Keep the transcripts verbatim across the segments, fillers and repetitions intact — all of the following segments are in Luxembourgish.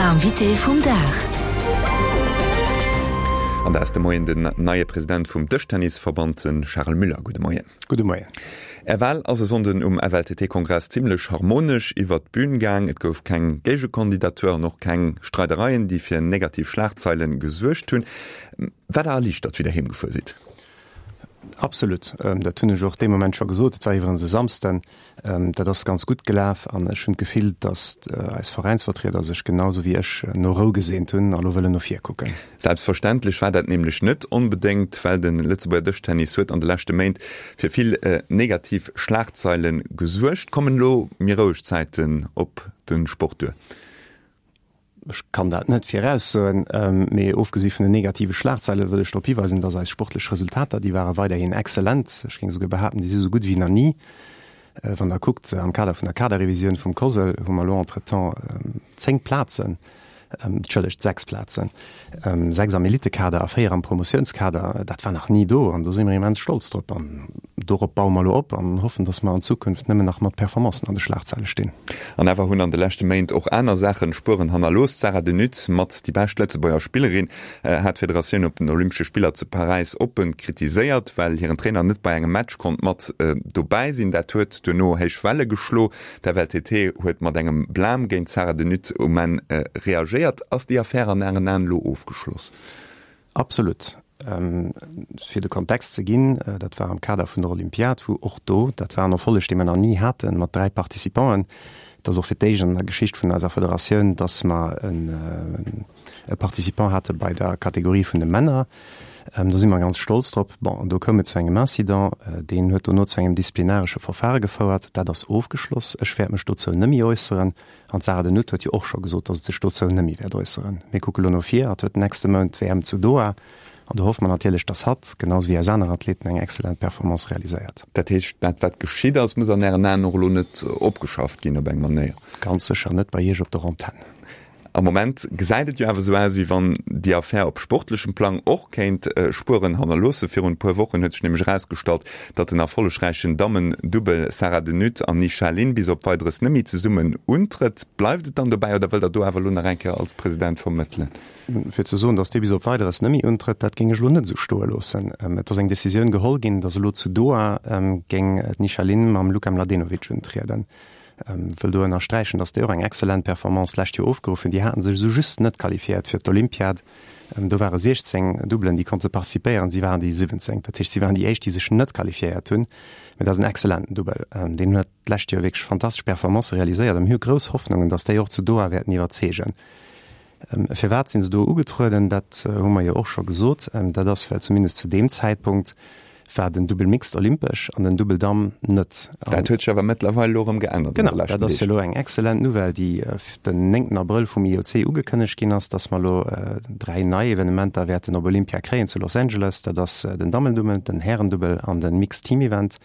Invité vum Dag. An dat ass de Moien den neie President vum Dëschtennisverband, de Charel Müller. Gudde Moien. Gudde Moien. Är Wal ass e Sonnden um F L T T-Kongress zimmlech harmonesch iwwert d'Bün gaang. Et gouf keng Géigekandidatur an och keng Streidereien, déi fir negativ Schlagzeile gesuergt hunn. Waart Der erliichtert, wéi Der heem gefuer sidd? Absolut. Dat hunn ech och dee Moment scho gesot. Et war iwwerens e Samsden. Dat ass ganz gutt gelaf an ech hunn d'Gefill, datt eis Veräinsvertrieder sech genau sou wéi ech no Rou geseent hunn a lo wëllen no vir kucken. Selbstverständlech war dat nämlech net onbedéngt, well de Lëtzebuerger Dëschtennis huet an de leschte Méint fir vill negativ Schlagzeile gesuergt. Kommen elo méi roueg Zäiten op de Sport duer? Ech kann dat net viraussoen, mee ofgesi vun den negative Schlagzeile wëll ech drop hiweisen, datt eis sportlech Resultater, déi ware weiderhin exzellent. Ech géing souguer behaapten, déi si sou gutt wéi nach ni. Wann Der kuckt, am Kader vun der Kaderrevisioun vum COSL hu mer elo entretemps zéng Plazen, entschëllegt, sechs Plazen, sechs am Elitekader a véier am Promotiounskader. Dat war nach ni do an do si mer immens stolz drop an dorop baue mer elo op an hoffen, datt mer an Zukunft nëmmen nach mat Performancen an de Schlagzeile stinn. An awer hunn an de leschte Méint och aner Saache Spueren hannerlooss. D'Sarah de Nutte, mat déi bescht Lëtzebuerger Spillerin, hat d'Federatioun op den Olympesche Spiller zu Paräis oppe kritiséiert, well hiren Trainer net bei engem Match konnt mat dobäi sinn. Dat huet duerno héich Welle geschlo. D'F L T T huet mat engem Blam géint d'Sarah de Nutte um Enn reagéiert. Ass déi Affär an Ären Aen elo ofgeschloss? Absolut. Fir de Kontext ze ginn, dat war am Kader vun der Olympiad, wou och do, dat war en Erfolleg, dee mer nach ni haten, mat dräi Participanten. Et ass och fir d'éischt an der Geschicht vun eiser Federatioun, dass mer e Participant hate bei der Kategorie vun de Männer. Do si mer ganz stolz drop. Bon, an do koum et zu engem Incident, deen huet dono zu engem disziplinaresche Verfahre gefouert. Dat ass ofgeschloss. Ech wäert mech dozou net méi äusseren. An d'Sarah de Nutte huet jo och scho gesot, dass et sech dozou net méi wäert äusseren. Mir kucke lo no vir. Hatt huet den nächste Mount d'W M zu Doha. An do hoffe mer natierlech, dass hatt, genau sou wéi eis aner Athleten, eng exzellent Performance realiséiert. Dat heescht, dat wat geschitt ass, muss an Ären Aen och elo net opgeschafft ginn op eng Manéier? Ganz sécher net bei Iech op der Antenn. Am Moment gesäit et jo awer esou aus, wéi wann déi Affär op sportlechem Plang och kéint Spueren hannerloossen. Virun e puer Wochen huet sech nämlech erausgestallt, datt den erfollegräichen Dammen-Dubbel Sarah de Nutte an Nisha Lin bis op Weideres net méi zesummen untrëtt. Bleift et dann dobäi oder wëllt Der do awer elo nach eng Kéier als President vermëttelen? Fir ze soen, datt dee bis op Weideres net méi untrëtt, dat géing ech elo net esou stoe loossen. Et ass eng Decisioun geholl ginn, datt elo zu Doha géing d'Nisha Lin mam Luka Mladenovic untrieden. Wëll do ënnersträichen, datt déi och eng exzellent Performance d'lescht Joer ofgeruff hunn. Déi hate sech esou just net qualifiéiert fir d'Olympiad. Do ware siechzéng Dubbelen, déi konnte participéieren, si waren déi siwwenzéng. Dat heescht, si waren déi éischt, déi sech net qualifiéiert hunn. Mä dat ass en exzellenten Dubbel. Deen huet d'lescht Joer wierklech fantastesch Performancë realiséiert a mir hu grouss Hoffnungen, datt déi och zu Doha wäerten iwwerzeegen. Firwat sinn se do ugetrueden, dat hu mer jo och scho gesot. Dat ass, well zumindest zu deem Zäitpunkt war den Dubbel Mixed olympesch an den Dubbel Damm net. Dat huet sech awer mëttlerweil elo erëm geännert an de leschten Deeg. Genau, dat ass jo elo eng exzellent Nouvelle, déi den néngten Abrëll vum I O C ugekënnegt ginn ass, dass mer elo dräi nei Evenementer wäerten op Olympia kréien zu Los Angeles. Dat ass den Dammendubbel, den Härendubbel an den Mixed Team Event.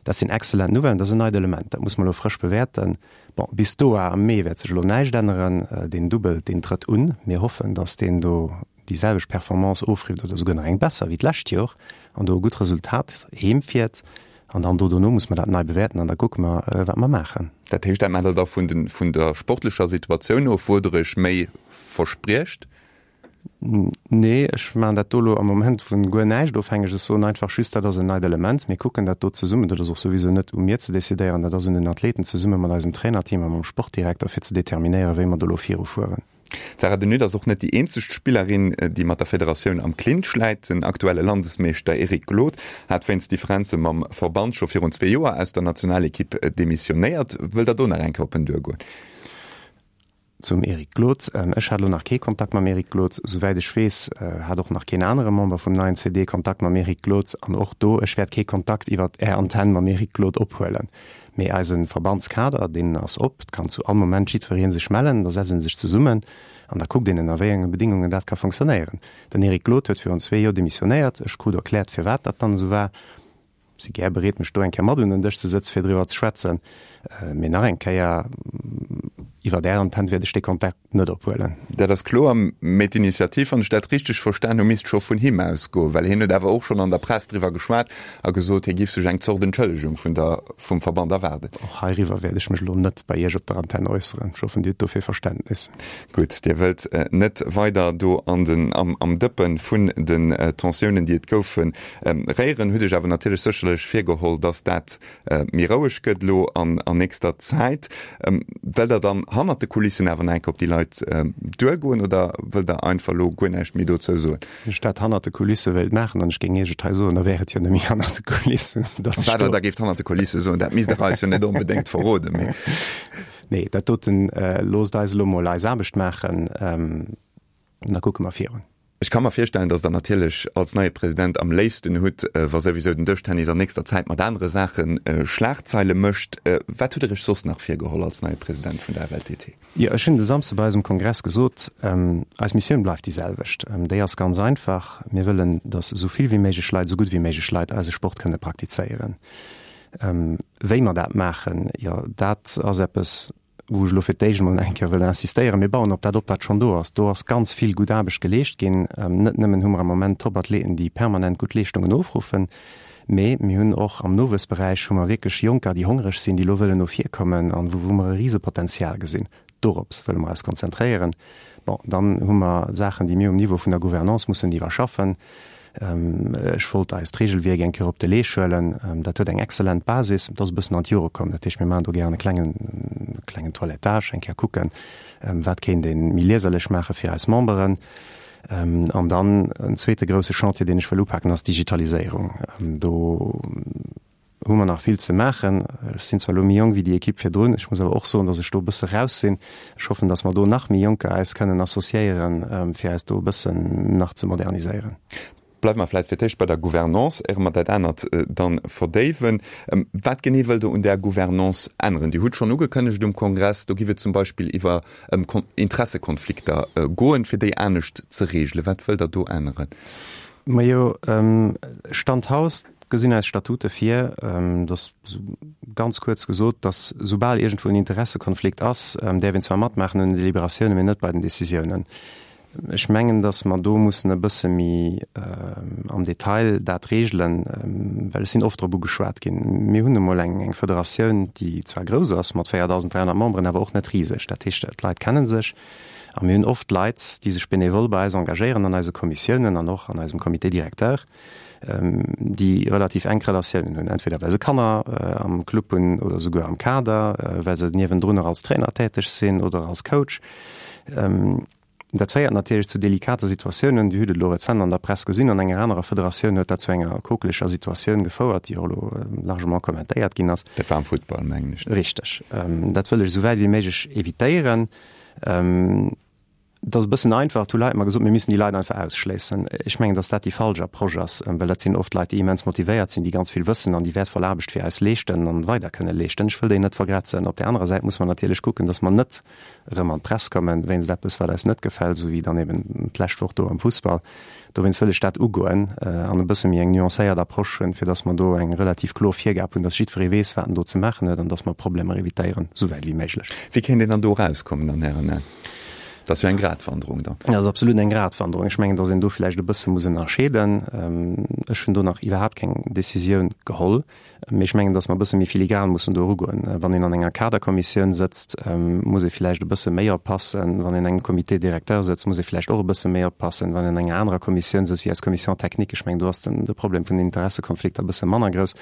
Dat sinn exzellent Nouvellen, dat ass en neit Element, dat muss mer elo frësch bewäerten. Bon, bis Doha am Mee wäert sech elo näischt änneren. Deen Dubbel, deen trëtt un. Mir hoffen, dass deen do déi selwecht Performance ofrifft oder souguer nach eng besser wéi d'lescht Joer an do e gutt Resultat heemfiert. An dann do dono muss mer dat nei bewäerten an da kucke mer, wat mer maachen. Dat heescht, dat maacht Der da vun den, vun der sportlecher Situatioun of, wou Der Iech méi verspriecht? Nee, ech maachen dat do elo am Moment vu guer näischt ofhängeg. Ech soen einfach just, dat ass en neit Element. Mir kucken dat do zesummen. Dat ass och souwisou net u mir ze decidéieren, dat ass un den Athleten zesumme mat eisem Trainerteam a mam Sportdirekter, fir ze determinéieren, wéi mer do elo virufueren. D'Sarah de Nutte ass och net déi eenzeg Spillerin, déi mat der Federatioun am Clinch läit. Den aktuelle Landesmeeschter Eric Glod hat wéinst Differenze mam Verband scho virun zwee Joer aus der Nationalekipp demissionéiert. Wëllt Der do nach eng Kéier op en duergoen? Zum Eric Glod, Ech hat elo nach kee Kontakt mam Eric Glod. Souwäit ech weess, hat och nach keen anere Member vum neien C D Kontakt mam Eric Glod. An och do, ech wäert kee Kontakt iwwer Är Antenn mam Eric Glod ophuelen. Mee eise Verbandskader, deen ass op, et kann zu all Moment jiddweree sech mellen, da setzt ee sech zesummen an da kuckt een, ënner wéi enge Bedingungen dat ka fonctionnéieren. Den Eric Glod huet virun zwee Joer demissionéiert. Ech krut erkläert, firwat dat dann esou war. Si gär bereet, mech do eng Kéier mat un den Dësch ze sëtzen, fir driwwer ze schwätzen. Mee nach eng Kéier, Iwwer Är Antenn wäert ech dee Kontakt net ophuelen. Dat ass kloer. Mee d'Initiativ, wann ech dat richteg verstan hu, misst scho vun him ausgoen, well hien huet awer och schonn an der Press driwwer geschwat a gesot, hie giff sech eng Zort Entschëllegung vun der, vum Verband erwaarden. Och heiriwwer wäert ech mech elo net bei Iech op der Antenn äusseren. Ech hoffen, Dir hutt dofir Verständnis. Gutt, Dir wëllt net weider do an den, am, am Dëppe vun den Tensiounen, déi et goufen, réieren. Hutt Iech awer natierlech sécherlech virgeholl, dass dat méi roueg gëtt elo an, an nächster Zäit. Wëllt Der dann hannert de Kulissen awer nach eng Kéier op déi Leit duergoen oder wëllt Der einfach elo guer näischt méi dozou soen? Wann ech dat hannert de Kulisse wéilt maachen an ech géing Iech et hei soen, da wär et jo net méi hannert de Kulissen, soudass ech Wat Der do. da géift hannert de Kulisse soen, dat misst Der eis jo net onbedéngt verroden, mee. Nee, dat doten, loosst eis elo mol eis Aarbecht maachen, da kucke mer virun. Ech ka mer virstellen, dass Der natierlech als neie President am léifsten hutt, wa souwisou den Dëschtennis an nächster Zäit mat anere Saache Schlagzeile mécht. Wat hutt Der Iech soss nach virgeholl als neie President vun der F L T T? Jo, ech hunn de Samsde bei eisem Kongress gesot, eis Missioun bleift déi selwecht. Déi ass ganz einfach, Mir wëllen, dass esou vill wéi méiglech Leit, esou gutt wéi méiglech Leit eise Sport kënne praktizéieren. Wéi mer dat maachen, jo, dat ass eppes, wou ech elo fir d'éischt emol eng Kéier wëll insistéieren, Mir bauen op dat op, wat schonn do ass. Do ass ganz vill gutt Aarbecht geleescht ginn. Net nëmmen hu mer am Moment Top-Athleten, déi permanent gutt Leeschtungen ofruffen, mee mir hunn och am Nowuessberäich hu mer wierklech Jonker, déi hongreg sinn, déi elo wëllen no vir kommen an wou mer e Risepotenzial gesinn. Dorops wëlle mer eis konzentréieren. Bon, dann hu mer Saachen, déi mir um Niveau vun der Gouvernance mussen iwwerschaffen. Ech wollt eist Regelwierk eng Kéier op de Leesch huelen. Dat huet eng exzellent Basis. Et ass e bëssen an d'Jore komm. Dat heescht, mir maachen do gären e klengen, klengen Toilettage, eng Kéier kucken, wat kéint ee méi lieserlech maache fir eis Memberen. An dann en zweete grousse Chantier, deen ech wëll upaken, ass d'Digitaliséierung. Do hu mer nach vill ze maachen. Ech sinn zwar elo méi jonk wéi déi Ekipp virdrun, ech muss awer och soen, datt ech do e bësse raus sinn. Ech hoffen, datt mer do nach méi Jonker eis kënnen associéieren, fir eis do e bëssen nach ze moderniséieren. Bleiwe mer vläicht fir d'éischt bei der Gouvernance, éier mer dat anert dann verdéiwen. Wat genee wëllt Der un där Gouvernance änneren? Dir hutt schonn ugekënnegt um Kongress, do giff et zum Beispill iwwer ëm Interessekonflikter goen, fir déi anescht ze regelen. Wat wëllt Der do änneren? Majo, Stand haut gesinn eis Statute vir, dass, ganz kuerz gesot, dass soubal iergendwou en Interessekonflikt ass, däerf een zwar matmaachen un den Deliberatiounen, mee net bei den Decisiounen. Ech mengen, dass mer do mussen e bësse méi am Detail dat regelen, well ech sinn oft drop ugeschwat ginn. Mir hunn nu mol eng Federatioun, déi zwar grouss ass mat véierdausend dräihonnert Memberen, awer och net riseg. Dat heescht, d'Leit kenne sech a mir hunn oft Leit, déi sech benevol bei eis engagéieren an eise Kommissiounen an och an eisem Comité directeur, déi relativ enk Relatiounen hunn, entweder well se Kanner am Club hunn oder souguer am Kader, well se niewendrun och als Trainer täteg sinn oder als Coach. Dat féiert natierlech zu delikate Situatiounen. Dir hutt et elo rezent an der Press gesinn, an enger anerer Federatioun huet dat zu enger kokeleger Situatioun gefouert, déi och elo largement kommentéiert ginn ass. Dat war am Futtball, mengen ech. Richteg. Dat wëll ech esou wäit wéi méiglech evitéieren. Et ass e bëssen einfach, et hu Leit mer gesot, mir missten déi Leit einfach ausschléissen. Ech mengen, datt dat déi falsch Approche ass, well dat sinn oft Leit, déi immens motivéiert sinn, déi ganz vill wëssen an déi wäertvoll Aarbecht fir eis leeschten an weider kënne leeschten. Ech wëll déi net vergrätzen. Op där anerer Säit muss mer natierlech kucken, datt mer net erëm an d'Press kommen wéinst eppes, wat eis net gefält, esou wéi dann eben d'lescht Woch do am Fussball. Dowéinst wëll ech dat ugoen an e bësse méi eng nuancéiert Approche hunn, fir datt mer do eng relativ kloer Virgab hunn, datt jiddweree weess, wat en do ze maachen huet an datt mer Problemer evitéieren, esou wäit wéi méiglech. Wéi kéint een dann do erauskommen an Ären Aen? Dat ass jo eng Gratwanderung dann. Dat ass absolut eng Gratwanderung. Ech mengen, datt een do vläicht e bësse muss ënnerscheeden. Ech hunn do nach iwwerhaapt keng Decisioun geholl, mee ech mengen, datt mer e bësse méi filigran mussen do erugoen. Wann een an enger Kaderkommissioun sëtzt, muss ee vläicht e bësse méi oppassen. Wann een an engem Comité directeur sëtzt, muss ee vläicht och e bësse méi oppassen. Wann een an enger anerer Kommissioun sëtzt wéi eis Commission technique, ech mengen, do ass den de Problem vun den Interessekonflikter e bësse manner grouss.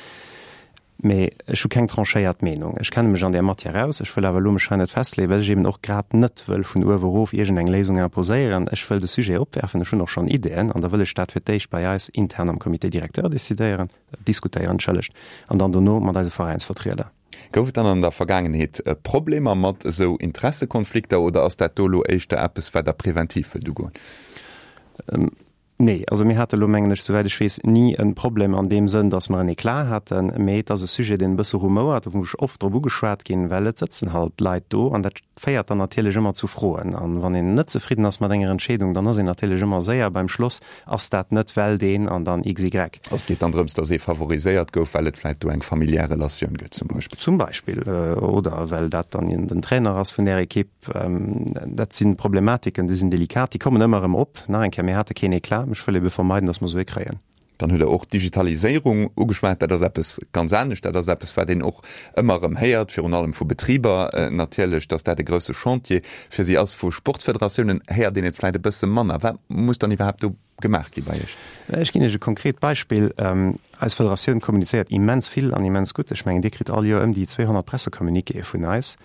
Mee ech hu keng tranchéiert Meenung. Ech kenne mech an där Matière aus. Ech wëll awer elo mech hei net festleeën, well ech eben och grad net wëll vun uewe erof iergendeng Léisung imposéieren. Ech wëll de Sujet opwerfen. Ech hunn och schonn Ideeën an da wëll ech dat fir d'éischt bei eis intern am Comité directeur decidéieren, diskutéieren, entschëllegt, an dann dono mat eise Veräinsvertrieder. Gouf et dann an der Vergaangenheet Problemer mat esou Interessekonflikter oder ass dat do elo éischter eppes, wat Der präventiv wëllt ugoen? Nee, also mir hate lo mengen ech, souwäit ech weess, ni e Problem an deem Sënn, datt mer en Eclat haten, mee et ass e Sujet, deen e bësse rumouert, wou ech oft drop ugeschwat ginn, well et sëtzen halt Leit do an dat féiert dann natierlech ëmmer zu Froen. An wann een net zefridden ass mat enger Entscheedung, dann ass een natierlech ëmmer séier beim Schloss, ass dat net well deen an dann XY. Also et geet dann drëms, datt ee favoriséiert gouf, well et vläicht do eng familiär Relatioun gëtt zum Beispill. Zum Beispill, oder well dat dann den Trainer ass vun där Ekipp. Dat si Problematiken, déi sinn delikat, déi kommen ëmmer erëm op. Nach eng Kéier, mir hate keen Eclat. Ech wëll ebe vermeiden, datt mer esou ee kréien. Dann hutt Der och d'Digitaliséierung ugeschwat. Dat ass eppes ganz anescht. Dat ass eppes, wat een och ëmmer erëm héiert, virun allem vu Betriber natierlech, datt dat e grousse Chantier fir si ass. Vu Sportfederatiounen héiert een et vläicht e bësse manner. Wat muss dann iwwerhaapt do gemaach gi bei Iech? Ech ginn Iech e konkret Beispill. Eis Federatioun kommunizéiert immens vill an immens gutt. Ech mengen, Dir kritt all Joer ëm déi zweehonnert Pressecommuniquéë vun eis.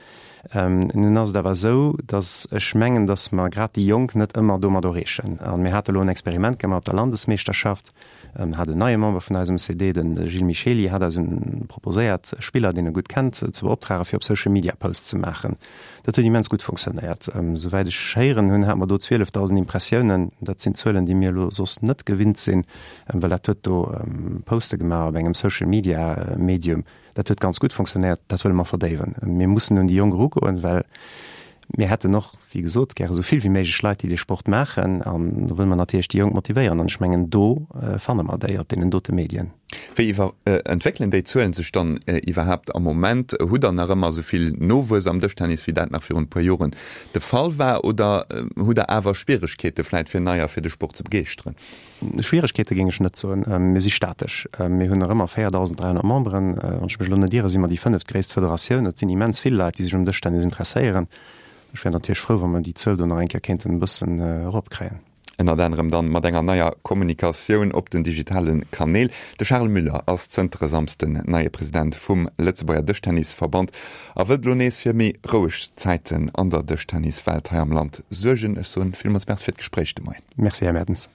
Nun ass et awer esou, datt ech mengen, datt mer grad déi Jonk net ëmmer domat erreechen. A mir hate elo en Experiment gemaach op der Landesmeeschterschaft, hat en neie Member vun eisem C D, de Gilles Michely, hat eis proposéiert, e Spiller, deen e gutt kennt, ze beoptrage fir op Social Media Posts ze maachen. Dat huet immens gutt funktionéiert. Souwäit ech héieren hunn, hate mer do zwielefdausend Impressiounen. Dat sinn Zuelen, déi mir elo soss net gewinnt sinn, well dat huet do Poste gemaach op engem Social Media Medium. Dat huet ganz gutt funktionéiert. Dat wëlle mer verdéiwen. Mir mussen un déi Jonk erugoen, well mir hätten och, wéi gesot, gäre esou vill wéi méiglech Leit, déi dee Sport maachen. An do wëlle mer natierlech déi Jonk motivéieren. An ech mengen, do fanne mer déi op deenen dote Medien. Wéi iwwer entwéckelen déi Zuelen sech dann iwwerhaapt am Moment? Hutt Der nach ëmmer esou vill Nowuess am Dëschtennis, wéi dat nach virun e puer Joren de Fall war? Oder hutt Der awer Schwieregkeete vläit fir Neier fir de Sport ze begeeschteren? Schwieregkeete géing ech net soen. Mir si statesch. Mir hunn nach ëmmer véierdausend dräihonnert Memberen. Wann ech mech elo net iere, si mer déi fënneftgréisst Federatioun. Et sinn immens vill Leit, déi sech um Dëschtennis interesséieren. Ech wär natierlech frou, wa mer déi Zuel do nach eng Kéier kéinten e bëssen eropkréien. Ënnert anerem dann mat enger neier Kommunikatioun op den digitale Kanäl. De Charles Müller ass zënter e Samsden neie President vum Lëtzebuerger Dëschtennisverband a wëllt elo nees fir méi roueg Zäiten an der Dëschtenniswelt hei am Land suergen. Ech soen villmools Merci fir d'Gespréich de Moien. Merci, Här Mertens.